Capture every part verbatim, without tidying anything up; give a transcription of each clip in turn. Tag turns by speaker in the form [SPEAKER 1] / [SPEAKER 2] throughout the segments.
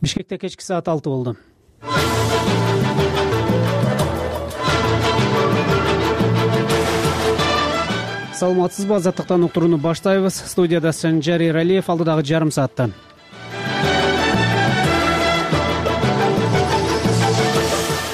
[SPEAKER 1] Бишкекте кечки саат алты болду. Саламатсызбы, азаттыктан уктурууну баштайбыз. Студияда Санжар Эралиев, алдыдагы жарым саатта.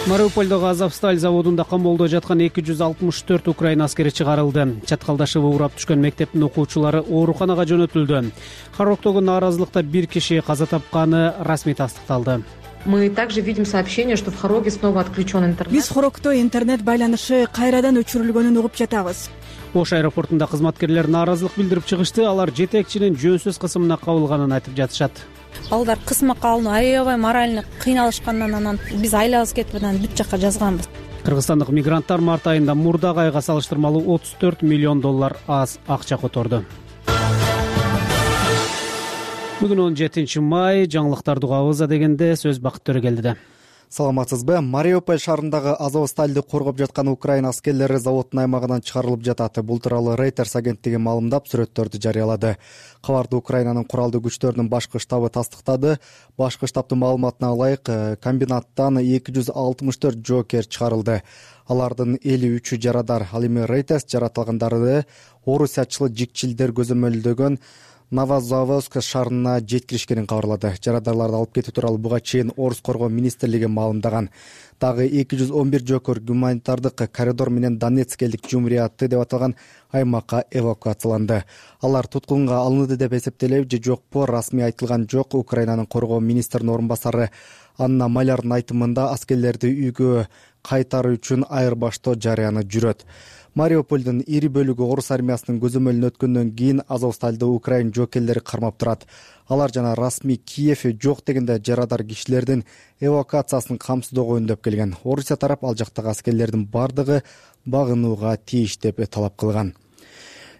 [SPEAKER 1] Мариупольдогу Азовсталь заводунда камоодо жаткан эки жүз алтымыш төрт украин аскери чыгарылды. Чаткалдашыбы урап түшкөн мектептин окуучулары ооруканага жөнөтүлдү. Хароктогу нааразылыкта бир киши каза тапканы расмий тастыкталды.
[SPEAKER 2] Мы также видим сообщение, что в Хороге снова отключен интернет.
[SPEAKER 3] Биз Хорогдо интернет байланышы кайрадан өчүрүлгөнүн угуп жатабыз.
[SPEAKER 1] Ош аэропортунда кызматкерлер нааразылык билдирип чыгышты. Алар жетекчинин жөнсүз кысымына кабылганын айтып жатышат.
[SPEAKER 4] Балдар кысмакка алынып, аябай морально кыйналышкандан анан биз айлабыз кетип анан бүт жакка жазганбыз.
[SPEAKER 1] Кыргызстандык мигранттар март айында мурдагы айга салыштырмалуу отуз төрт миллион доллар аз акча которду. Бүгүн он жетинчи май, жаңылыктарды угабыз дегенде сөз Бакыт Төрөгелдиде.
[SPEAKER 5] Саламатсызбы? Мариуполь шаарындагы Азовстальды коргоп жаткан украин аскерлери заводдун аймагынан чыгарылып жатат. Бул тууралуу Reuters агенттиги маалымдап, сүрөттөрдү жарыялады. Кабарды Украинанын куралдуу күчтөрүнүн башкы штабы тастыктады. Башкы штабдын маалыматына ылайык, комбинаттан эки жүз алтымыш төрт жоокер чыгарылды. Алардын элүү үчү жарадар. Ал эми Reuters жаратылгандарды орусиячыл жикчилдер көзөмөлдөгөн Новозаводск шаарына жеткиришкенин кабарлады. Жарадарларды алып кетүү тууралуу буга чейин Орус коргоо министрлиги маалымдаган. Дагы эки жүз он бир жоокер гуманитардык коридор менен Донецк элдик жумурияты деп аталган аймакка эвакуацияланды. Алар туткунга алынды деп эсептелеби же жокпу, расмий айтылган жок. Украинанын коргоо министринин орун басары Анна Малярдын айтымында аскерлерди үйгө кайтаруу үчүн айырбаштоо жарыяны жүрөт. Мариупольдун ири бөлүгү орус армиясынын көзөмөлүнө өткөндөн кийин Азовстальды украин жоокерлери кармап турат. Алар жана расмий Киев жок дегенде жарадар кишилердин эвакуациясын камсыздоого үндөп келген. Орусия тарап ал жактагы аскерлердин бардыгы багынууга тийиш деп талап кылган.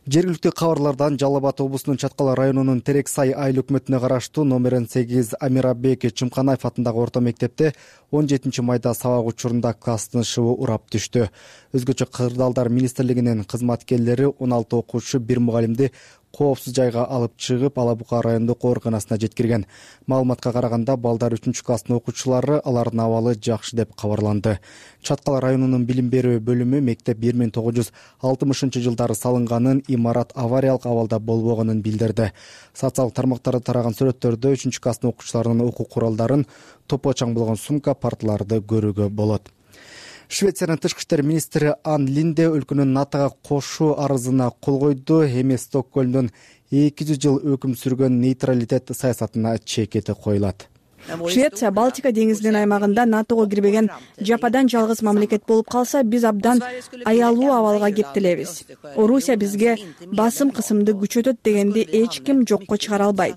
[SPEAKER 5] Жергиликтүү кабарлардан Жалал Абад облусунун Чаткал районунун Терексай айыл өкмөтүнө караштуу номер он сегиз Амирабек Чымканаев атындагы орто мектепте он жетинчи майда сабак учурунда класстын ышыгы урап түштү. Өзгөчө кырдаалдар министрлигинин кызматкерлери он алты окуучу, бир мугалимди коопсуз жайга алып чыгып, Ала Бука райондук ооруканасына жеткирген. Маалыматка караганда, балдар үчүнчү класстын окуучулары, алардын абалы жакшы деп кабарланды. Чаткал районунун билим берүү бөлүмү мектеп бир миң тогуз жүз алтымышынчы жылдары салынганын, имарат авариялык абалда болбогонун билдирди. Социалдык тармактарда тараган сүрөттөрдө үчүнчү класстын окуучуларынын окуу куралдарын, топо чаң болгон сумка, парталарды көрүүгө болот. Швециянын тышкы иштер министри Ан Линде өлкөнүн НАТОга кошуу арызына кол койду. Эми Стокгольмдун эки жүз жыл өкүм сүргөн нейтралитет саясатына чекети коюлат.
[SPEAKER 3] Швеция Балтика деңизинин аймагында НАТОго кирбеген жападан жалгыз мамлекет болуп калса, биз абдан аялуу абалга кептелебиз. Орусия бизге басым кысымды күчөтөт дегенди эч ким жокко чыгара албайт.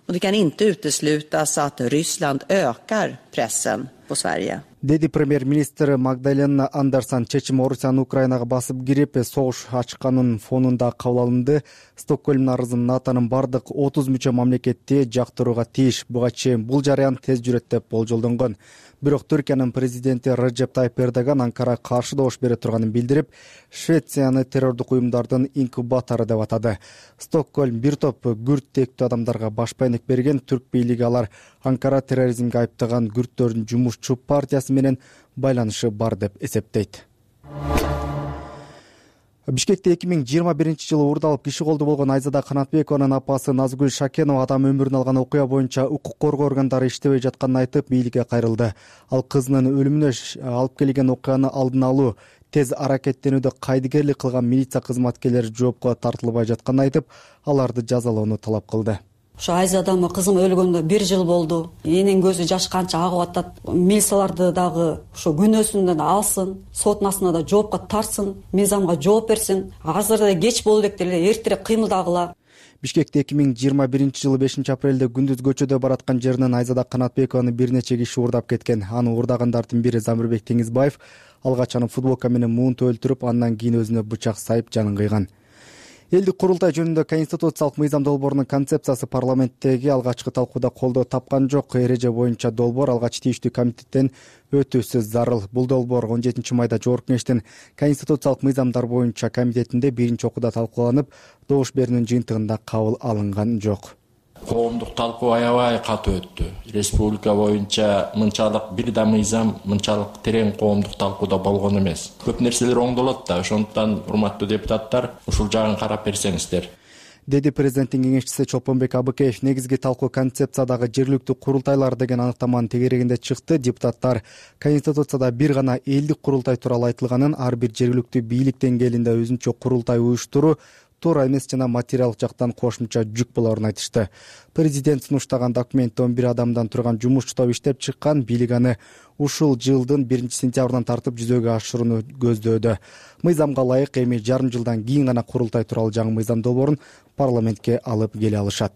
[SPEAKER 6] Och det kan inte uteslutas att Ryssland ökar pressen på Sverige.
[SPEAKER 5] Деди премьер-министр Магдалена Андерсон чечим Орусиянын Украинага басып кирип, согуш ачканын фонунда кабыл алынды. Стокгольм арызын НАТОнун бардык отуз мүчө мамлекети жактырууга тийиш. Буга чейин бул жарыян тез жүрөт деп болжолдонгон. Бирок Түркиянын президенти Реджеп Тайып Эрдоган Анкарага каршы добуш бере турганын билдирип, Швецияны террордук уюмдардын инкубатору деп атады. Стокгольм бир топ күрд тектүү адамдарга баш байнек берген. Түрк бийлиги алар Анкара терроризмге айыптаган күрдтөрдүн жумушчу партиясы менен байланышы бар деп эсептейт. Бишкекте эки миң жыйырма биринчи жылы уурдалып киши колду болгон Айзада Канатбекованын апасы Назгүл Шакенова адам өмүрүн алган окуя боюнча укук коргоо органдары иштебей жатканын айтып, бийликке кайрылды. Ал кызынын өлүмүнө алып келген окуяны алдын алуу, тез аракеттенүүдө кайдыгерлик кылган милиция кызматкерлери жоопко тартылбай жатканын айтып, аларды жазалоону талап кылды.
[SPEAKER 7] Ошо Айзадамы кызым өлгөндө бир жыл болду. Энин көзү жаш канча агып атат. Милицияларды дагы ошо күнөөсүндөн алсын, сотунасына да жоопко тартсын, мыйзамга жооп берсин. Азыр да кеч болду элек деле, эртерээк кыймылдагыла.
[SPEAKER 5] Бишкекте эки миң жыйырма биринчи жылы бешинчи апрелде күндүз көчөдө бараткан жеринен Айзада Канатбекованы бир нече киши уурдап кеткен. Аны уурдагандардын бири Замирбек Теңизбаев алгач аны футболка менен муунтуп өлтүрүп, андан кийин өзүнө бычак сайып жанын кыйган. Элдик курултай жөнүндө конституциялык мыйзам долбоорунун концепциясы парламенттеги алгачкы талкууда колдоо тапкан жок. Эреже боюнча долбоор алгач тийиштүү комитеттен өтүүсү зарыл. Бул долбоор он жетинчи майда Жогорку Кеңештин конституциялык мыйзамдар боюнча комитетинде биринчи окууда талкууланып, добуш берүүнүн жыйынтыгында кабыл алынган жок.
[SPEAKER 8] Коомдук талкуу аябай катуу өттү. Республика боюнча мынчалык бир да мыйзам, мынчалык терең коомдук талкууда болгон эмес. Көп нерселер оңдолот да, ошондуктан урматтуу депутаттар, ушул жагын карап берсеңиздер,
[SPEAKER 5] деди президенттин кеңешчиси Чолпонбек Абыкеев. Негизги талкуу концепциядагы жергиликтүү курултайлар деген аныктаманын тегерегинде чыкты. Депутаттар Конституцияда бир гана элдик курултай тууралуу айтылганын, ар бир жергиликтүү бийлик деңгээлинде өзүнчө курултай уюштуруу туура эмес жана материалдык жактан кошумча жүк болорун айтышты. Президент сунуштаган документте он бир адамдан турган жумушчу топ иштеп чыккан. Бийлик аны ушул жылдын биринчи сентябрынан тартып жүзөгө ашырууну көздөөдө. Мыйзамга ылайык эми жарым жылдан кийин гана курултай тууралуу жаңы мыйзам долбоорун парламентке алып келе алышат.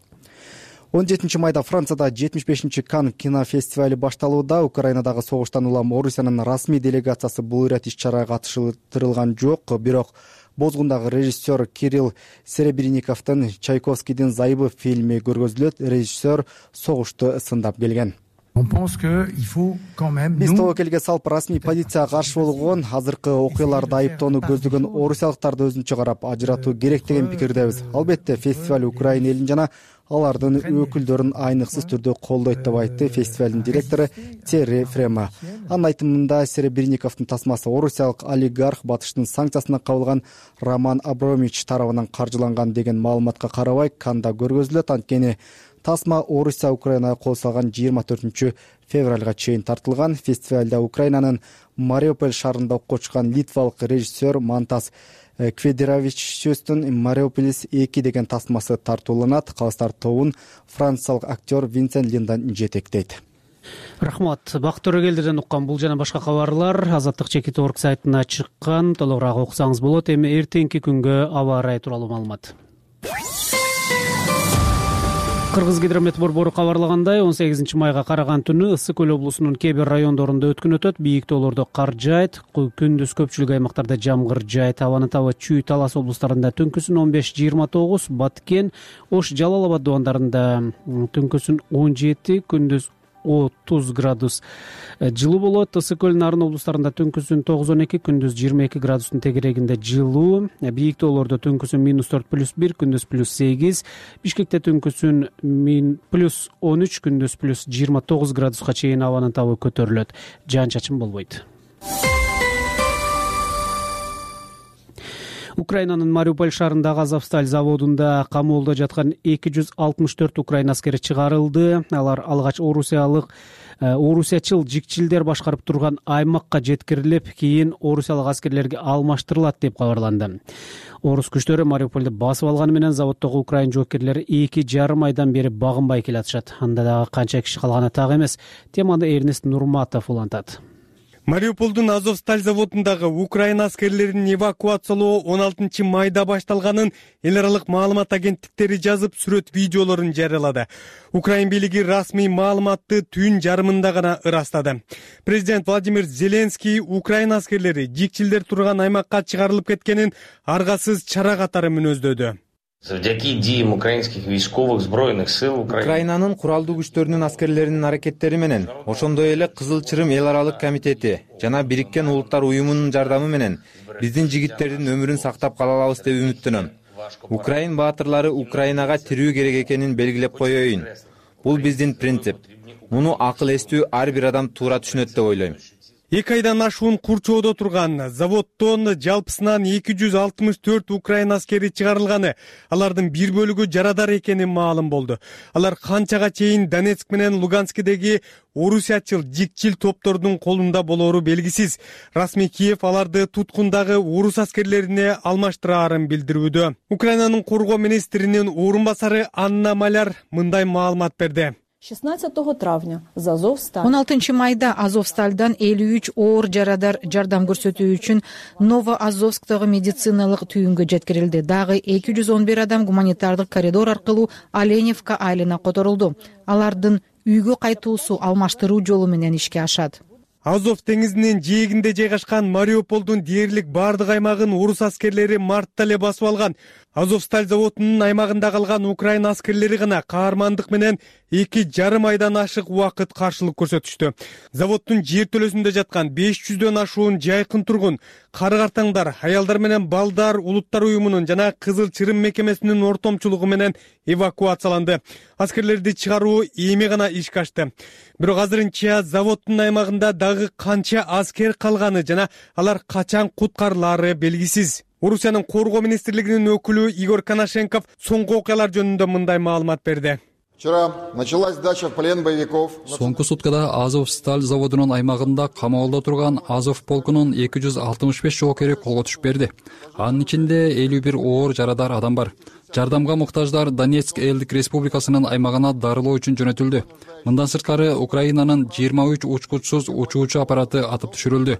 [SPEAKER 5] он жетинчи майда Францияда жетимиш бешинчи Кан кинофестивали башталууда. Украинадагы согуштан улам Орусиянын расмий делегациясы бул ирет иш-чарага катыштырылган жок. Бирок Бозгундагы режиссер Кирилл Серебренниковдун Чайковскийдин Зайыбы фильми көргөзүлөт. Режиссер согушту сындап келген. Биз тобокелге салып расмий позицияга каршы болгон, азыркы окуяларды айыптоону көздөгөн орусиялыктарды өзүнчө карап ажыратуу керек деген пикирдебиз. Албетте фестиваль Украина элин жана алардын өкүлдөрүн айныксыз түрдө колдойт деп айтты фестивалдын директору Терри Фрема. Анын айтымында Серебренниковдун тасмасы орусиялык олигарх батыштын санкциясына кабылган Роман Абрамович тарабынан каржыланган деген маалыматка карабай Канда көргөзүлөт. Анткени тасма Орусия Украинага кол салган жыйырма төртүнчү февралга чейин тартылган. Фестивалда Украинанын Мариуполь шаарында окуп чыккан литвалык режиссер Мантас Кведеровичтун Мариуполис эки деген тасмасы тартууланат. Калыстар тобун франциялык актер Винсент Линдан жетектейт.
[SPEAKER 1] Рахмат. Бакыт Төрөгелдерден уккан бул жана башка кабарлар Азаттык чекит точка орг сайтына чыккан. Толугураак окусаңыз болот. Эми эртеңки күнгө аба ырайы тууралуу маалымат. Кыргызгидромет борбору кабарлагандай, он сегизинчи майга караган түнү Ысык көл облусунун кээ бир райондорунда өткүн өтөт. Бийик тоолордо кар жаайт, күндүз көпчүлүк аймактарда жамгыр жаайт. Абанын табы Чүй, Талас облустарында түнкүсүн он беш жыйырма тогуз, Баткен, Ош, Жалал Абад дубандарында түнкүсүн он жети, күндүз отуз градус жылуу болот. Ысык көл, Нарын облустарында түнкүсүн тогуз он эки, күндүз жыйырма эки градустун тегерегинде жылуу. Бийик тоолордо түнкүсүн минус төрт плюс бир, күндүз плюс сегиз. Бишкекте түнкүсүн плюс он үч, күндүз плюс жыйырма тогуз градуска чейин абанын табы көтөрүлөт. Жаан чачын болбойт. Украинанын Мариуполь шаарындагы Азовсталь заводунда камоолдо жаткан эки жүз алтымыш төрт украин аскери чыгарылды. Алар алгач орусиялык орусиячыл жикчилдер башкарып турган аймакка жеткирилип, кийин орусиялык аскерлерге алмаштырылат деп кабарланды. Орус күчтөрү Мариупольду басып алганы менен заводдогу украин жоокерлери эки жарым айдан бери багынбай келатышат. Анда дагы канча киши калганы так эмес. Теманы Эрнест Нурматов улантат.
[SPEAKER 9] Мариупольдун Азовсталь заводундагы украин аскерлерин эвакуациялоо он алтынчы майда башталганын эл аралык маалымат агенттиктери жазып, сүрөт видеолорун жарыялады. Украин бийлиги расмий маалыматты түн жарымында гана ырастады. Президент Владимир Зеленский украин аскерлери жикчилдер турган аймакка чыгарылып кеткенин аргасыз чара катары мүнөздөдү.
[SPEAKER 10] Завдяки диям украинских войсковых збройных сил
[SPEAKER 11] Украинанын куралдуу күчтөрүнүн аскерлеринин аракеттери менен, ошондой эле Кызыл Чырым эл аралык комитети жана Бириккен Улуттар уюмунун жардамы менен биздин жигиттердин өмүрүн сактап кала алабыз деп үмүттөнөм. Украин баатырлары Украинага тирүү керек экенин белгилеп коеюн. Бул биздин принцип. Муну акыл эстүү ар бир адам туура түшүнөт деп ойлойм.
[SPEAKER 9] Эки айдан ашуун курчоодо турган заводдон жалпысынан эки жүз алтымыш төрт украин аскери чыгарылганы, алардын бир бөлүгү жарадар экени маалым болду. Алар канчага чейин Донецк менен Луганскидеги орусиячыл жикчил топтордун колунда болору белгисиз. Расмий Киев аларды туткундагы орус аскерлерине алмаштыраарын билдирүүдө. Украинанын коргоо министринин орун басары Анна Маляр мындай маалымат берди.
[SPEAKER 12] шестнадцатого травня за Азовсталь.
[SPEAKER 13] он алтынчы майда Азовстальдан элүү үч оор жарадар жардам көрсөтүү үчүн Новоазовсктагы медициналык түйүнгө жеткирилди. Дагы эки жүз он бир адам гуманитардык коридор аркылуу Оленевка айылына которулду. Алардын үйгө кайтуусу алмаштыруу жолу менен ишке ашат.
[SPEAKER 9] Азов деңизинин жээгинде жайгашкан Мариуполдун дээрлик бардык аймагын орус аскерлери мартта эле басып алган. Азовсталь заводунун аймагында калган украин аскерлери гана каармандык менен эки жарым айдан ашык убакыт каршылык көрсөтүштү. Заводдун жер төлөсүндө жаткан беш жүздөн ашуун жайкын тургун, кары-картаңдар, аялдар менен балдар Улуттар уюмунун жана Кызыл Чырым мекемесинин ортомчулугу менен эвакуацияланды. Аскерлерди чыгаруу эми гана ишке ашты. Бирок азырынча заводдун аймагында дагы канча аскер калганы жана алар качан куткарылаары белгисиз. Орусиянын коргоо министрлигинин өкүлү Игорь Коношенков соңку окуялар жөнүндө мындай маалымат берди.
[SPEAKER 14] Вчера началась сдача в плен боевиков.
[SPEAKER 15] Соңку суткада Азовсталь заводунун аймагында камаалда турган Азов полкунун эки жүз алтымыш беш жоокери колго түшүп берди. Анын ичинде элүү бир оор жарадар адам бар. Жардамга муктаждар Донецк элдик республикасынын аймагына дарылоо үчүн жөнөтүлдү. Мындан сырткары Украинанын жыйырма үч учкучсуз учуучу аппараты атып түшүрүлдү.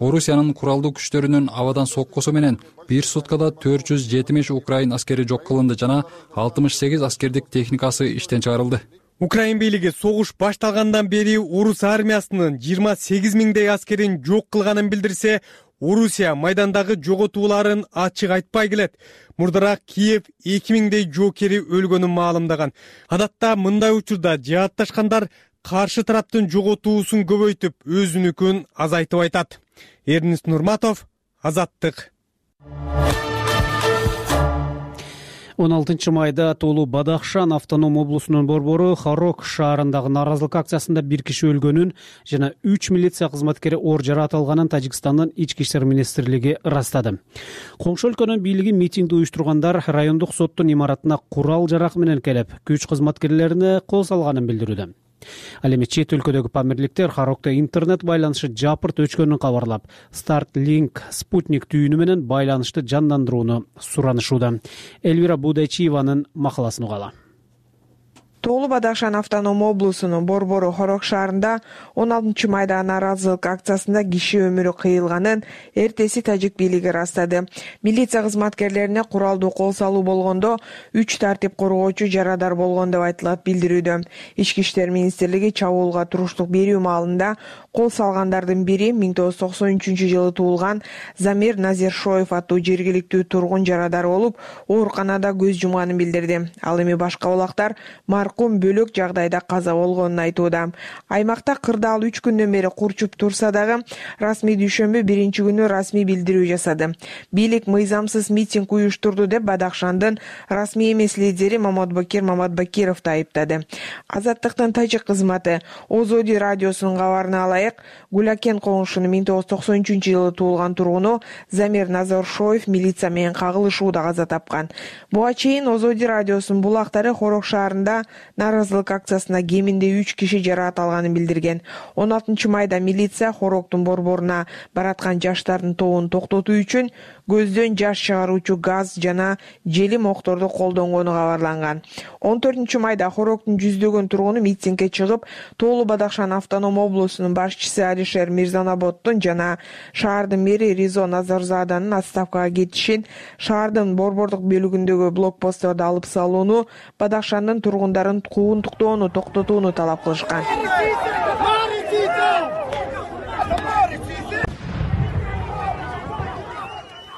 [SPEAKER 15] Орусиянын куралдуу күчтөрүнүн абадан соккусу менен бир суткада төрт жүз жетимиш украин аскери жок кылынды жана алтымыш сегиз аскердик техникасы иштен чыгарылды.
[SPEAKER 9] Украин бийлиги согуш башталгандан бери орус армиясынын жыйырма сегиз миңдей аскерин жок кылганын билдирсе, Орусия майдандагы жоготууларын ачык айтпай келет. Мурдараак Киев эки миңдей жоокери өлгөнүн маалымдаган. Адатта мындай учурда жаатташкандар каршы тараптын жоготуусун көбөйтүп, өзүнүкүн азайтып айтат. Эрнест Нурматов, Азаттык.
[SPEAKER 1] он алтынчы майда Толу Бадахшан автоном облусунун борбору Хорог шаарындагы нааразылык акциясында бир киши өлгөнүн жана үч милиция кызматкери оор жаракат алганын Тажикстандын ички иштер министрлиги ырастады. Коңшу өлкөнүн бийлиги митингди уюштургандар райондук соттун имаратына курал жарак менен келип, күч кызматкерлерине кол салганын билдирүүдө. Ал эми чет өлкөдөгү памирликтер Хорогдо интернет байланышы жапырт өчкөнүн кабарлап, Starlink спутник түйүнү менен байланышты жандандырууну суранышууда. Элвира Будайчиеванын макаласын угалы.
[SPEAKER 16] Толу Бадахшан автоном облусунун борбору Хорог шаарында он алтынчы майда нааразылык акциясында киши өмүрү кыйылганын эртеси тажик бийлиги ырастады. Милиция кызматкерлерине куралдуу кол салуу болгондо үч тартип коргоочу жарадар болгон деп айтылат билдирүүдө. Ички иштер министрлиги чабуулга туруштук берүү маалында кол салгандардын бири миң тогуз жүз токсон үчүнчү жылы туулган Замир Назершоев аттуу жергиликтүү тургун жарадар болуп, ооруканада көз жумганын билдирди. Ал эми башка булактар маркум бөлөк жагдайда каза болгонун айтууда. Аймакта кырдаал үч күндөн бери курчуп турса дагы, расмий дүйшөмбү биринчи күнү расмий билдирүү жасады. Бийлик мыйзамсыз митинг уюштурду деп Бадахшандын расмий эмес лидери Маматбакир Маматбакировду айыптады. Азаттыктын тажик кызматы Озоди радиосунун кабарына алайык, Гулякен коңшунун миң тогуз жүз токсон үчүнчү жылы туулган тургуну Замир Назершоев милиция менен кагылышууда каза тапкан. Буга чейин Озоди радиосунун булактары Хорог шаарында нааразылык акциясына кеминде үч киши жаракат алганын билдирген. он алтынчы майда милиция Хорогдун борборуна бараткан жаштардын тобун токтотуу үчүн көздөн жаш чыгаруучу газ жана желим окторду колдонгону кабарланган. он төртүнчү майда Хорогдун жүздөгөн тургуну митингге чыгып, Толу Бадахшан автоном облусунун башчысы Алишер Мирзанаботтун жана шаардын мэри Ризо Назарзаданын отставкага кетишин, шаардын борбордук бөлүгүндөгү блокпостторду алып салууну, Бадахшандын тургундарын куугунтуктоону токтотууну талап кылышкан.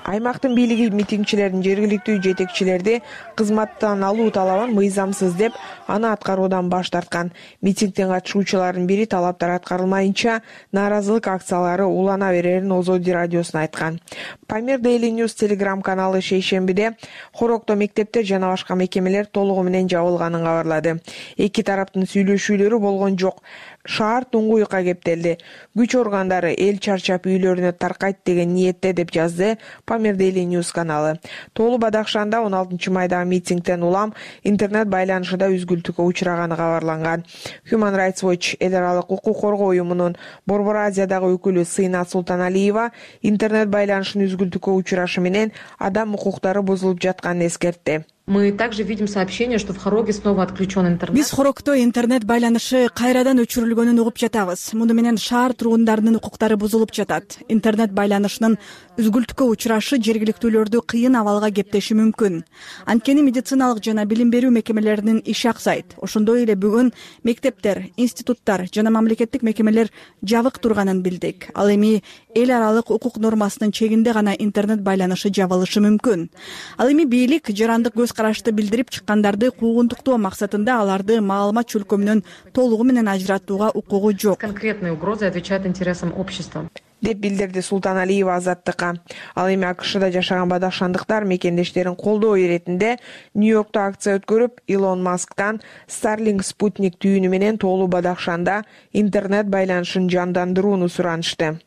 [SPEAKER 16] Аймактын бийлиги митингчилердин жергиликтүү жетекчилерди кызматтан алуу талабын мыйзамсыз деп, аны аткаруудан баш тарткан. Митингдин катышуучуларынын бири талаптар аткарылмайынча нааразылык акциялары улана берерин Озоди радиосуна айткан. Памир Daily News телеграм каналы шейшембиде Хорогдо мектептер жана башка мекемелер толугу менен жабылганын кабарлады. Эки тараптын сүйлөшүүлөрү болгон жок. Шаар туңгуюкка кептелди. Күч органдары эл чарчап үйлөрүнө таркайт деген ниетте деп жазды Памир Daily News каналы. Толу Бадахшанда он алтынчы майда митингден улам интернет байланышында үзгүлтүккө учураганы кабарланган. Human Rights Watch эл аралык укук коргоо уюмунун Борбор Азиядагы өкүлү Сыйна Султаналиева интернет байланышынын үзгүлтүккө учурашы менен адам укуктары бузулуп жатканын эскертти.
[SPEAKER 2] Мы также видим сообщение, что в Хороге снова отключен интернет.
[SPEAKER 3] Биз Хорогдо интернет байланышы кайрадан өчүрүлгөнүн угуп жатабыз. Муну менен шаар тургундарынын укуктары бузулуп жатат. Интернет байланышынын үзгүлтүккө учурашы жергиликтүүлөрдү кыйын абалга кептеши мүмкүн. Анткени медициналык жана билим берүү мекемелеринин иши аксайт. Ошондой эле бүгүн мектептер, институттар жана мамлекеттик мекемелер жабык турганын билдик. Ал эми эл аралык укук нормасынын чегинде гана интернет байланышы жабылышы мүмкүн. Ал эми бийлик жарандык көз карашты билдирип чыккандарды куугунтуктоо максатында аларды маалымат чөлкөмүнөн толугу менен ажыратууга укугу жок.
[SPEAKER 2] Конкретные угрозы отвечают интересам общества.
[SPEAKER 16] деп билдирди Султаналиева Азаттыкка. Ал эми АКШда жашаган бадахшандыктар мекендештерин колдоо иретинде Нью-Йоркто акция өткөрүп, Илон Масктан Starlink спутник түйүнү менен тоолуу Бадахшанда интернет байланышын жандандырууну суранышты.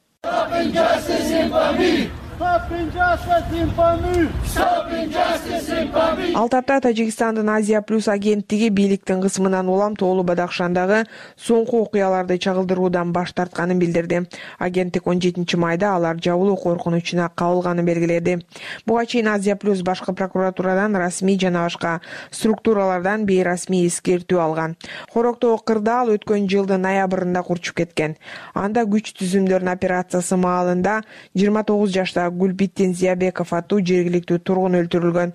[SPEAKER 16] Ал тапта Тажикстандын Азия плюс агенттиги бийликтин кысымынан улам тоолуу Бадахшандагы соңку окуяларды чагылдыруудан баш тартканын билдирди. Агенттик он жетинчи майда алар жабылуу коркунучуна кабылганын белгиледи. Буга чейин Азия плюс башкы прокуратурадан расмий жана башка структуралардан бейрасмий эскертүү алган. Хороктогу кырдаал өткөн жылдын ноябрында курчуп кеткен. Анда күч түзүмдөрүнүн операциясы маалында жыйырма тогуз жаштагы Гүлбиттин Зиябеков аттуу жергиликтүү тургун өлтүрүлгөн.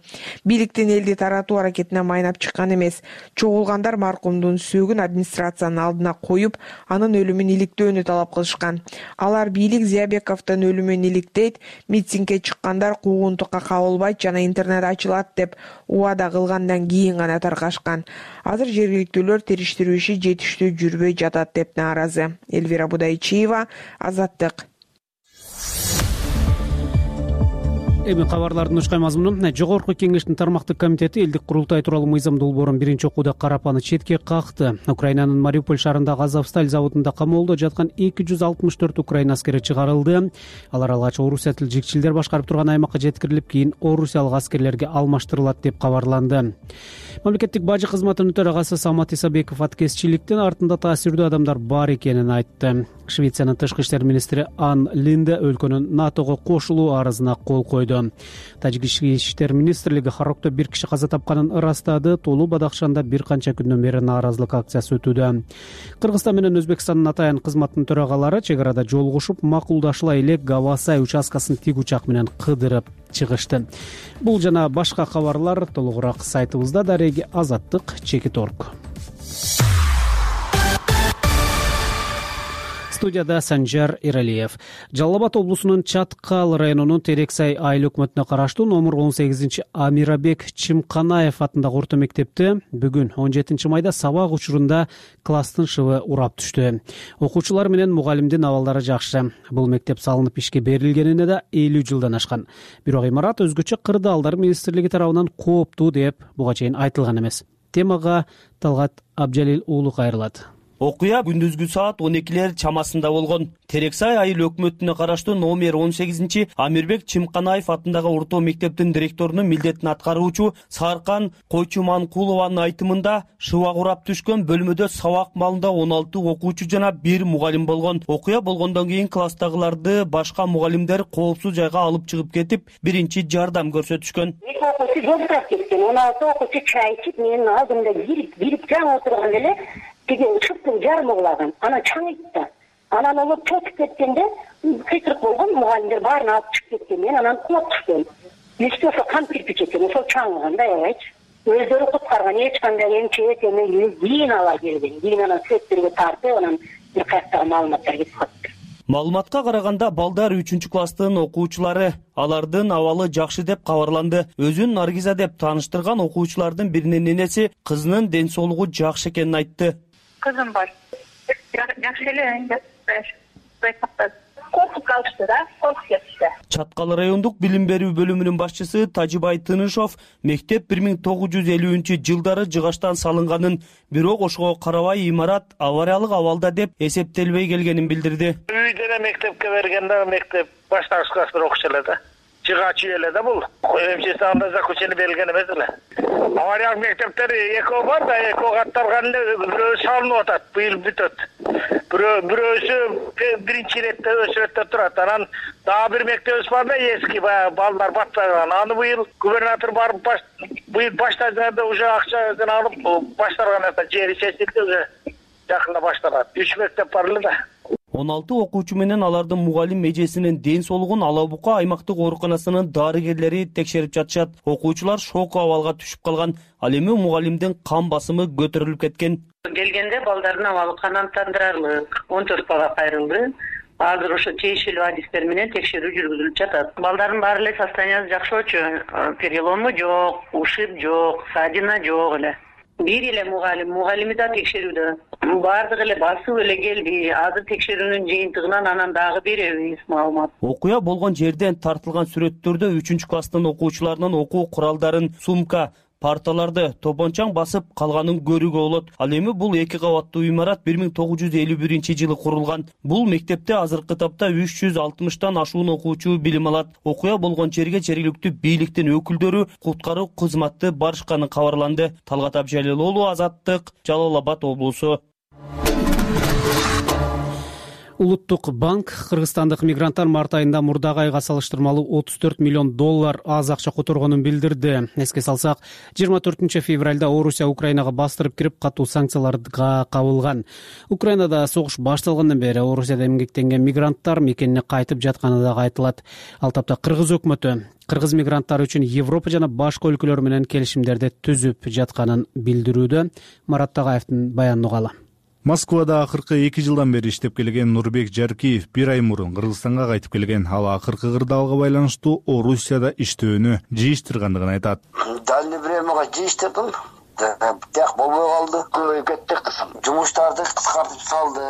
[SPEAKER 16] Бийликтин элди таратуу аракетине майнап чыккан эмес. Чогулгандар маркумдун сөөгүн администрациянын алдына коюп, анын өлүмүн иликтөөнү талап кылышкан. Алар бийлик Зиябековдун өлүмүн иликтейт, митингге чыккандар куугунтукка кабылбайт жана интернет ачылат деп убада кылгандан кийин гана таркашкан. Азыр жергиликтүүлөр териштирүү иши жетиштүү жүрбөй жатат деп нааразы. Элвира Будайчиева, Азаттык.
[SPEAKER 1] Эми кабарлардын ушкай мазмуну. Жогорку кеңештин тармактык комитети элдик курултай тууралуу мыйзам долбоорун биринчи окууда карапаны четке какты. Украинанын Мариуполь шаарындагы Азовсталь заводунда камоолдо жаткан эки жүз алтымыш төрт украин аскери чыгарылды. Алар алгач Орусия тилчилер башкарып турган аймакка жеткирилип, кийин орусиялык аскерлерге алмаштырылат деп кабарланды. Мамлекеттик бажы кызматынын төрагасы Самат Исабеков аткезчиликтин артында таасирдүү адамдар бар экенин айтты. Швециянын тышкы иштер министри Ан Линде өлкөнүн НАТОго кошулуу арызына кол койду. Тажик иштер министрлиги Харокто бир киши каза тапканын ырастады. Тоолуу Бадахшанда бир канча күндөн бери нааразылык акциясы өтүүдө. Кыргызстан менен Өзбекстандын атайын кызматынын төрагалары чек арада жолугушуп, макулдашыла элек Гавасай участкасын тик учак менен кыдырып чыгышты. Бул жана башка кабарлар толугураак сайтыбызда. Дареги Азаттык чекит орг. Студияда Санжар Иралиев. Жалал Абад облусунун Чаткал районунун Терексай айыл өкмөтүнө караштуу номер он сегизинчи Амирабек Чимканаев атындагы орто мектепте бүгүн он жетинчи майда сабак учурунда класстын шыбы урап түштү. Окуучулар менен мугалимдин абалдары жакшы. Бул мектеп салынып ишке берилгенине да элүү жылдан ашкан. Бирок имарат өзгөчө кырдаалдар министрлиги тарабынан кооптуу деп буга чейин айтылган эмес. Темага Талгат Абжалил уулу кайрылат.
[SPEAKER 17] Окуя күндүзгү саат он экилер чамасында болгон. Терексай айыл өкмөтүнө караштуу номер он сегизинчи Амирбек Чимканаев атындагы орто мектептин директорунун милдетин аткаруучу Саркан Койчуманкулованын айтымында шыбак урап түшкөн бөлмөдө сабак маалында он алты окуучу жана бир мугалим болгон. Окуя болгондон кийин класстагыларды башка мугалимдер коопсуз жайга алып чыгып кетип, биринчи жардам көрсөтүшкөн.
[SPEAKER 18] эки окуучу жолдоп кеткен, он алты окуучу чай ичип, менин алдымда кирип, кирип жаңы отурган эле тиги шыптын жарымы кулаган. Анан чаңыйтты. Анан олор чөтүп кеткенде кыйкырык болгон, мугалимдер баарын алып чыгып кеткен. Мен анан кулап түшкөн. Эсте ошо кам кирпич экен, ошол чаңыган да, аябайчы. Өздөрү куткарган, эч кандай эмчек эме кийин алар келген. Кийин анан сүрөттөргө тартып, анан бир каяктагы маалыматтар кетип калды.
[SPEAKER 17] Маалыматка караганда балдар үчүнчү класстын окуучулары. Алардын абалы жакшы деп кабарланды. Өзүн Наргиза деп тааныштырган окуучулардын биринин энеси кызынын ден соолугу жакшы экенин айтты.
[SPEAKER 19] Кызым бар. Жакшы эле, коркуп калышты да, коркуп кетишти.
[SPEAKER 17] Чаткал райондук билим берүү бөлүмүнүн башчысы Тажибай Тынышов мектеп бир миң тогуз жүз элүүнчү жылдары жыгачтан салынганын, бирок ошого карабай имарат авариялык абалда деп эсептелбей келгенин билдирди.
[SPEAKER 20] Үй деле мектепке бергенде мектеп баштагыч класстар окушу эле да. Жыгач үй эле да бул. Эмчеси анда заключение берилген эмес эле. Авариялык мектептер экөө бар да, экөө катталган эле бирөө салынып атат, быйыл бүтөт. Бирөө бирөөсү биринчи иретте өсүрөттө турат. Анан дагы бир мектебибиз бар да, эски баягы балдар батпаган. Аны быйыл губернатор барып баш быйыл баштаганда уже акчасын алып башталган экен, жери чечилди, уже жакында башталат. үч мектеп бар эле да.
[SPEAKER 17] он алты окуучу менен алардын мугалим эжесинин ден соолугун Ала Бука аймактык ооруканасынын дарыгерлери текшерип жатышат. Окуучулар шок абалга түшүп калган. Ал эми мугалимдин кан басымы көтөрүлүп кеткен.
[SPEAKER 19] Келгенде балдардын абалы канааттандырарлык он төрт бала кайрылды. Азыр ошо тийиштүү адистер менен текшерүү жүргүзүлүп жатат. Балдардын баары эле состояниясы жакшы болчу. Перелому жок, ушиб жок, ссадина жок эле. бир эле мугалим мугалими да текшерүүдө баардыгы эле басып эле келди. Азыр текшерүүнүн жыйынтыгынан анан дагы беребиз маалымат.
[SPEAKER 17] Окуя болгон жерден тартылган сүрөттөрдө үчүнчү класстын окуучуларынын окуу куралдарын, сумка, парталарды топончаң басып калганын көрүүгө болот. Ал эми бул эки кабаттуу имарат бир миң тогуз жүз элүү биринчи жылы курулган. Бул мектепте азыркы тапта үч жүз алтымыштан ашуун окуучу билим алат. Окуя болгон жерге жергиликтүү бийликтин өкүлдөрү, куткаруу кызматы барышканы кабарланды. Талгат Абжалил, Азаттык, Жалал Абад облусу.
[SPEAKER 1] Улуттук банк кыргызстандык мигранттар март айында мурдагы айга салыштырмалуу отуз төрт миллион доллар аз акча которгонун билдирди. Эске салсак, жыйырма төртүнчү февралда Орусия Украинага бастырып кирип катуу санкцияларга кабылган. Украинада согуш башталгандан бери Орусияда эмгектенген мигранттар мекенине кайтып жатканы дагы айтылат. Ал тапта кыргыз өкмөтү кыргыз мигранттар үчүн Европа жана башка өлкөлөр менен келишимдерди түзүп жатканын билдирүүдө. Марат Тагаевдин баянын угалы.
[SPEAKER 21] Москвада акыркы эки жылдан бери иштеп келген Нурбек Жаркиев бир ай мурун Кыргызстанга кайтып келген. Ал акыркы кырдаалга байланыштуу Орусияда иштөөнү жыйыштыргандыгын айтат.
[SPEAKER 22] Дальний времяга жыйыштырдым. Так болбой калды. Көбөйүп кетти. Жумуштарды кыскартып салды.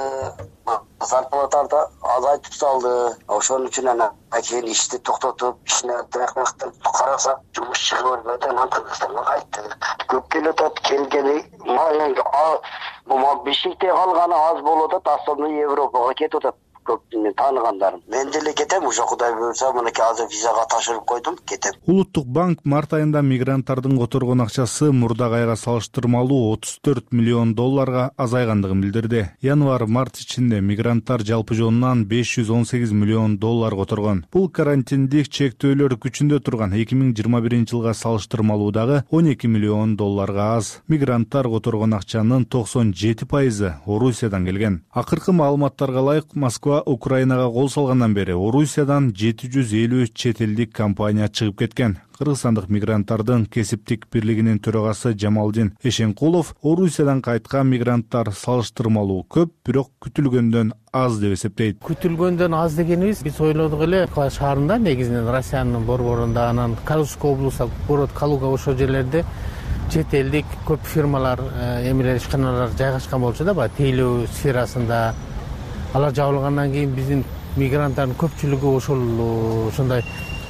[SPEAKER 22] Зарплатарды азайтып салды. Ошон үчүн анан кийин ишти токтотуп, ишине тырактап караса, жумуш чыгып атат, Кыргызстанга кайттык. Көп келип атат, келгени бул бешикте калганы аз болуп атат, основной Европага кетип атат. Көп мен тааныгандарым. Мен деле кетем, уже Кудай буйрса, мынакей азыр визага ташырып койдум, кетем.
[SPEAKER 21] Улуттук банк март айында мигранттардын которгон акчасы мурдагы айга салыштырмалуу отуз төрт миллион долларга азайгандыгын билдирди. Январь-март ичинде мигранттар жалпы жонунан беш жүз он сегиз миллион доллар которгон. Бул карантиндик чектөөлөр күчүндө турган эки миң жыйырма биринчи жылга салыштырмалуудагы он эки миллион долларга аз. Мигранттар которгон акчанын токсон жети пайызы Орусиядан келген. Акыркы маалыматтарга ылайык, Москва Украинага кол салгандан бери Орусиядан жети жүз элүү чет элдик компания чыгып кеткен. Кыргызстандык мигранттардын кесиптик бирлигинин төрагасы Жамалдин Эшенкулов Орусиядан кайткан мигранттар салыштырмалуу көп, бирок күтүлгөндөн аз деп эсептейт.
[SPEAKER 23] Күтүлгөндөн аз дегенибиз биз ойлодук эле шаарында, негизинен Россиянын борборунда, анан Калужский облусу, город Калуга, ошол жерлерде чет элдик көп фирмалар, эмелер, ишканалар жайгашкан болчу да, баягы тейлөө сферасында. Алар жабылгандан кийин биздин мигранттардын көпчүлүгү ошол ошондой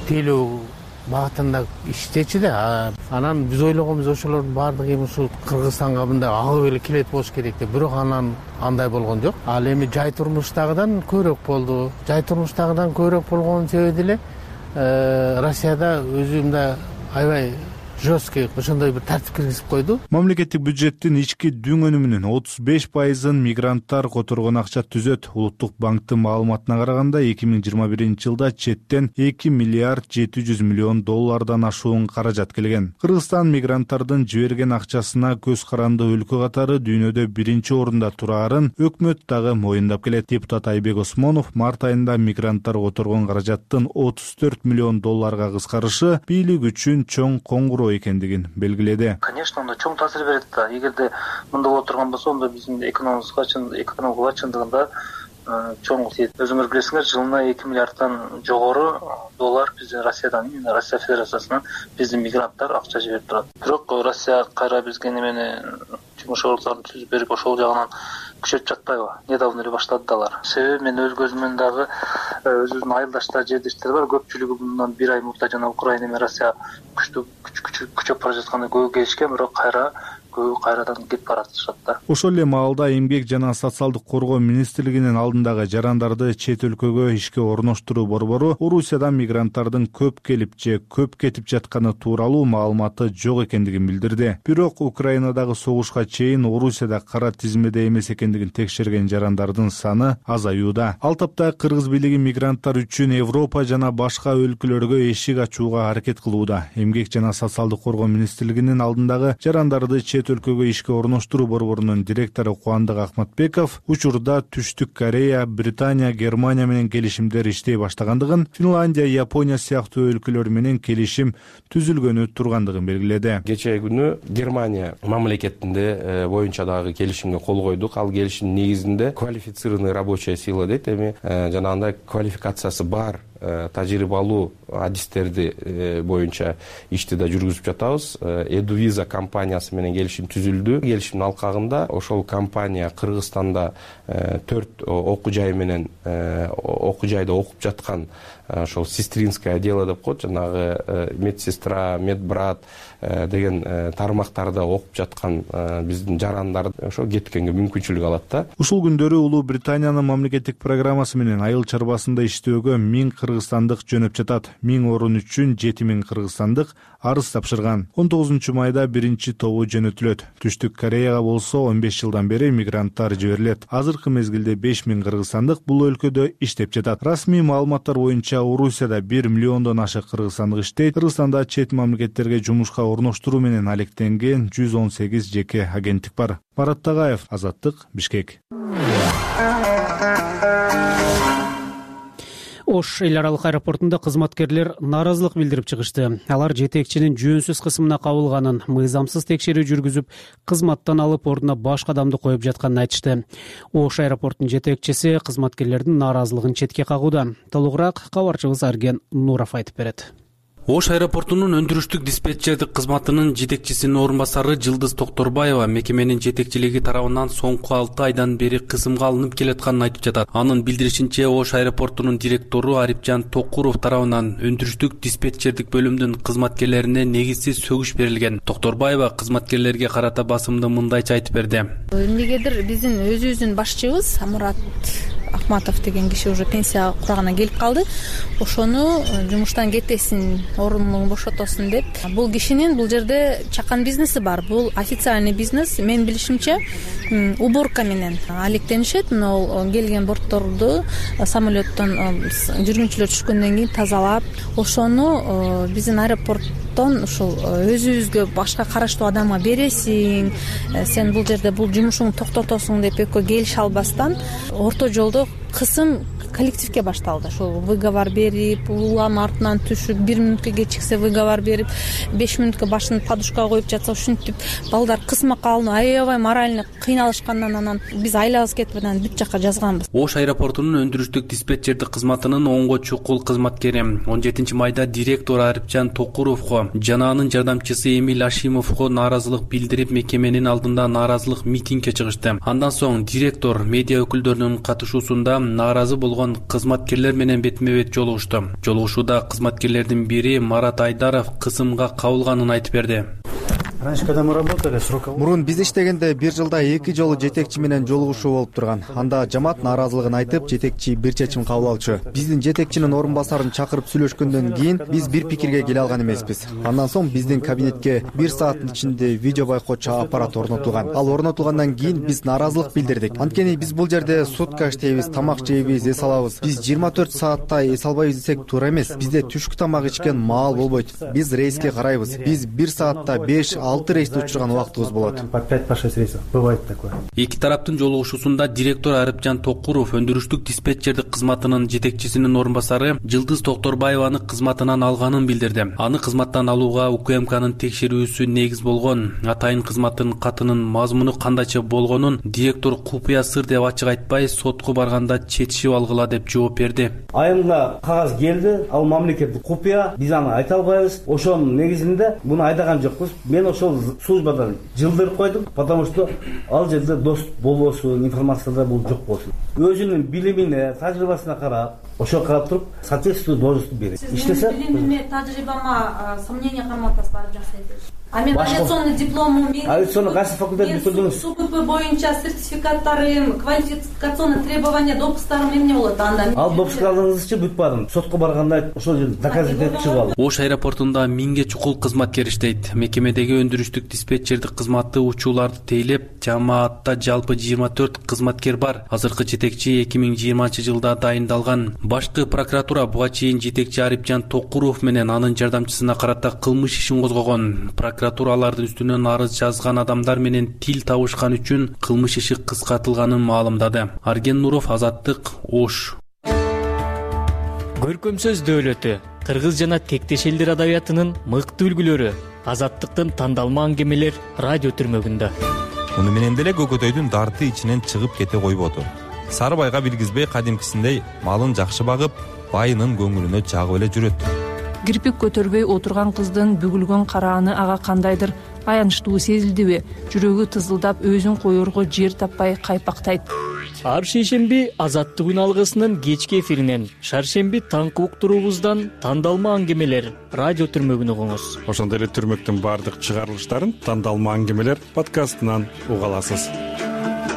[SPEAKER 23] тейлөө багытында иштечү да. Анан биз ойлогонбуз ошолордун баардыгы эми ушул Кыргызстанга мындай агып эле келет болуш керек деп, бирок анан андай болгон жок. Ал эми жай турмуштагыдан көбүрөөк болду. Жай турмуштагыдан көбүрөөк болгонун себеби деле Россияда өзү мындай аябай жесткий ошондой бир тартип киргизип койду.
[SPEAKER 21] Мамлекеттик бюджеттин ички дүң өнүмүнүн отуз беш пайызын мигранттар которгон акча түзөт. Улуттук банктын маалыматына караганда эки миң жыйырма биринчи жылда четтен эки миллиард жети жүз миллион доллардан ашуун каражат келген. Кыргызстан мигранттардын жиберген акчасына көз каранды өлкө катары дүйнөдө биринчи орунда турарын өкмөт дагы моюндап келет. Депутат Айбек Осмонов март айында мигранттар которгон каражаттын отуз төрт миллион долларга кыскарышы бийлик үчүн чоң коңгуроо экендигин белгиледи.
[SPEAKER 24] Конечно, анда чоң таасир берет да. Эгерде мындай боло турган болсо, онда биздин экономикага экономикага чындыгында чоң тиет. Өзүңөр билесиңер, жылына эки миллиарддан жогору доллар биздин Россиядан, Россия Федерациясынан биздин мигранттар акча жиберип турат. Бирок Россия кайра бизге немени жумуш ордуктарын түзүп берип, ошол жагынан күчөтүп жатпайбы? Недавно эле баштады алар. Себеби мен өз көзүмөн дагы өзүбүздүн айылдаштар, жердештер бар. Көпчүлүгү bundan бир ай мурда жана Украина менен Россия күчтүү күчөп бара жатканда көбү келишкен, бирок кайра көбү кайрадан кетип баратышат да.
[SPEAKER 21] Ошол эле маалда Эмгек жана социалдык коргоо министрлигинин алдындагы жарандарды чет өлкөгө ишке орноштуруу борбору Орусиядан мигранттардын көп келип же көп кетип жатканы тууралуу маалыматы жок экендигин билдирди. Бирок Украинадагы согушка чейин Орусияда кара тизмеде эмес экендигин текшерген жарандардын саны азаюуда. Ал тапта кыргыз бийлиги мигранттар үчүн Европа жана башка өлкөлөргө эшик ачууга аракет кылууда. Эмгек жана социалдык коргоо министрлигинин алдындагы жарандарды чет өлкөгө ишке орноштуруу борборунун директору Кубандык Акматбеков учурда Түштүк Корея, Британия, Германия менен келишимдер иштей баштагандыгын, Финландия, Япония сыяктуу өлкөлөр менен келишим түзүлгөнү тургандыгын белгиледи.
[SPEAKER 25] Кечээ күнү Германия мамлекетинде боюнча дагы келишимге кол койдук. Ал келишим негизинде квалифицированный рабочая сила дейт, эми жанагындай квалификациясы бар тажрыйбалуу адистерди боюнча ишти да жүргүзүп жатабыз. Эдувиза компаниясы менен келишим түзүлдү. Келишимдин алкагында ошол компания Кыргызстанда төрт окуу жай менен окуу жайда окуп жаткан ошол сестринское дело деп коет, жанагы медсестра, медбрат деген тармактарда окуп жаткан биздин жарандар ошо кеткенге мүмкүнчүлүк алат да.
[SPEAKER 21] Ушул күндөрү Улуу Британиянын мамлекеттик программасы менен айыл чарбасында иштөөгө миң кыргызстандык жөнөп жатат. Миң орун үчүн жети миң кыргызстандык арыз тапшырган. он тогузунчу майда биринчи тобу жөнөтүлөт. Түштүк Кореяга болсо он беш жылдан бери мигранттар жиберилет. Азыркы мезгилде беш миң кыргызстандык бул өлкөдө иштеп жатат. Расмий маалыматтар боюнча Орусияда бир миллиондон ашык кыргызстандык иштейт. Кыргызстанда чет мамлекеттерге жумушка орноштуруу менен алектенген жүз он сегиз жеке агенттик бар. Марат Тагаев, Азаттык, Бишкек.
[SPEAKER 1] Ош эл аралык аэропортунда кызматкерлер нааразылык билдирип чыгышты. Алар жетекчинин жөнсүз кысымына кабылганын, мыйзамсыз текшерүү жүргүзүп, кызматтан алып ордуна башка адамды коюп жатканын айтышты. Ош аэропортунун жетекчиси кызматкерлердин нааразылыгын четке кагууда. Толугураак кабарчыбыз Арген Нуров айтып берет.
[SPEAKER 4] Ош аэропортунун өндүрүштүк диспетчердик кызматынын жетекчисинин орун басары Жылдыз Токторбаева мекеменин жетекчилиги тарабынан соңку алты айдан бери кысымга алынып келатканын айтып жатат. Анын билдиришинче, Ош аэропортунун директору Арипжан Токуров тарабынан өндүрүштүк диспетчердик бөлүмдүн кызматкерлерине негизсиз сөгүш берилген. Токторбаева кызматкерлерге карата басымды мындайча айтып берди.
[SPEAKER 5] Эмнегедир биздин өзүбүздүн башчыбыз Мурат Ахматов деген киши уже пенсия курагына келип калды. Ошону жумуштан кетесин, орунун бошотосун деп. Бул кишинин бул жерде чакан бизнеси бар. Бул официальный бизнес. Мен билишимче уборка менен алектенишет. Мына келген бортторду самолеттон жүргүнчүлөр түшкөндөн кийин тазалап, ошону биздин аэропорттон ушул өзүбүзгө башка караштуу адамга бересиң, сен бул жерде бул жумушуңду токтотосуң деп экөө келише албастан орто жолдо кысым коллективге башталды. Ошол выговор берип, улам артынан түшүп, бир мүнөткө кечиксе выговор берип, беш мүнөткө башын подушкага коюп жатса ушинтип балдар кысмакка алынып, аябай морально кыйналышкандан анан биз айлабыз кетип анан бүт жакка жазганбыз.
[SPEAKER 4] Ош аэропортунун өндүрүштүк диспетчердик кызматынын оңго чукул кызматкери он жетинчи майда директор Арипжан Токуровго жана анын жардамчысы Эмиль Ашимовго нааразылык билдирип, мекеменин алдында нааразылык митингге чыгышты. Андан соң директор медиа өкүлдөрүнүн катышуусунда нааразы болгон кызматкерлер менен бетме-бет жолугушту. Жолугушууда кызматкерлердин бири Марат Айдаров кысымга кабылганын айтып берди.
[SPEAKER 6] Мурун биз иштегенде бир жылда эки жолу жетекчи менен жолугушуу болуп турган. Анда жамаат нааразылыгын айтып, жетекчи бир чечим кабыл алчу. Биздин жетекчинин орун басарын чакырып сүйлөшкөндөн кийин биз бир пикирге келе алган эмеспиз. Андан соң биздин кабинетке бир сааттын ичинде видео байкоочу аппарат орнотулган. Ал орнотулгандан кийин биз нааразылык билдирдик. Анткени биз бул жерде сутка иштейбиз, тамак жейбиз, эс алабыз. Биз жыйырма төрт сааттай эс албайбыз десек туура эмес. Бизде түшкү тамак ичкен маал болбойт. Биз рейске карайбыз. Биз бир саатта беш алты рейсти учурган убактыбыз болот.
[SPEAKER 4] По пять по шесть рейсов бывает такое. Эки тараптын жолугушуусунда директор Арипжан Токуров өндүрүштүк диспетчердик кызматынын жетекчисинин орун басары Жылдыз Токторбаеваны кызматынан алганын билдирди. Аны кызматтан алууга УКМКнын текшерүүсү негиз болгон. Атайын кызматтын катынын мазмуну кандайча болгонун директор купуя сыр деп ачык айтпай, сотко барганда четишип алгыла деп жооп берди.
[SPEAKER 7] Айымга кагаз келди, ал мамлекеттик купуя, биз аны айта албайбыз. Ошонун негизинде буну айдаган жокпуз. Мен ошол службадан жылдырып койдум, потому что ал жерде дос болбосун, информацияда бул жок болсун. Өзүнүн билимине, тажрыйбасына карап, ошо карап туруп, соответствующий должность берет. Иштесе,
[SPEAKER 5] билимиме, тажрыйбама сомнение карматасыз барып жасайбыз. А мен авиационный дипломум, мен
[SPEAKER 7] авиационный кайсы факультет бүтүрдүңүз?
[SPEAKER 5] СУПП боюнча сертификаттарым, квалификационный требования, допускарым эмне болот анда?
[SPEAKER 7] Ал допускарларыңызчы бүтүп бардым. Сотко барганда ошол жерде доказать этип чыгып алдым.
[SPEAKER 4] Ош аэропортунда миңге чукул кызматкер иштейт. Мекемедеги өндүрүштүк диспетчердик кызматы учууларды тейлеп, жамаатта жалпы жыйырма төрт кызматкер бар. Азыркы жетекчи эки миң жыйырманчы жылда дайындалган. Башкы прокуратура буга чейин жетекчи Арипжан Токуров менен анын жардамчысына карата кылмыш ишин козгогон. Прокуратуралардын үстүнөн арыз жазган адамдар менен тил табышкан үчүн кылмыш иши кыскартылганын маалымдады. Арген Нуров, Азаттык, Ош.
[SPEAKER 8] Көркөм сөз дөөлөтү, кыргыз жана тектеш элдер адабиятынын мыкты үлгүлөрү, Азаттыктын тандалма аңгемелер радио түрмөгүндө.
[SPEAKER 26] Муну менен деле Көкөтөйдүн дарты ичинен чыгып кете койбоду.
[SPEAKER 10] Сарыбайга билгизбей кадимкисиндей малын жакшы багып, байынын көңүлүнө жагып эле жүрөт.
[SPEAKER 11] Кирпик көтөрбөй отурган кыздын бүгүлгөн карааны ага кандайдыр аянычтуу сезилдиби? Жүрөгү тызылдап, өзүн коерго жер таппай кайпактайт.
[SPEAKER 8] Ар шейшемби Азаттык алгысынын кечки эфиринен, шаршемби таңкы уктуруубуздан тандалма аңгемелер радио түрмөгүн угуңуз.
[SPEAKER 12] Ошондой эле түрмөктүн баардык чыгарылыштарын Тандалма аңгемелер подкастынан уга аласыз.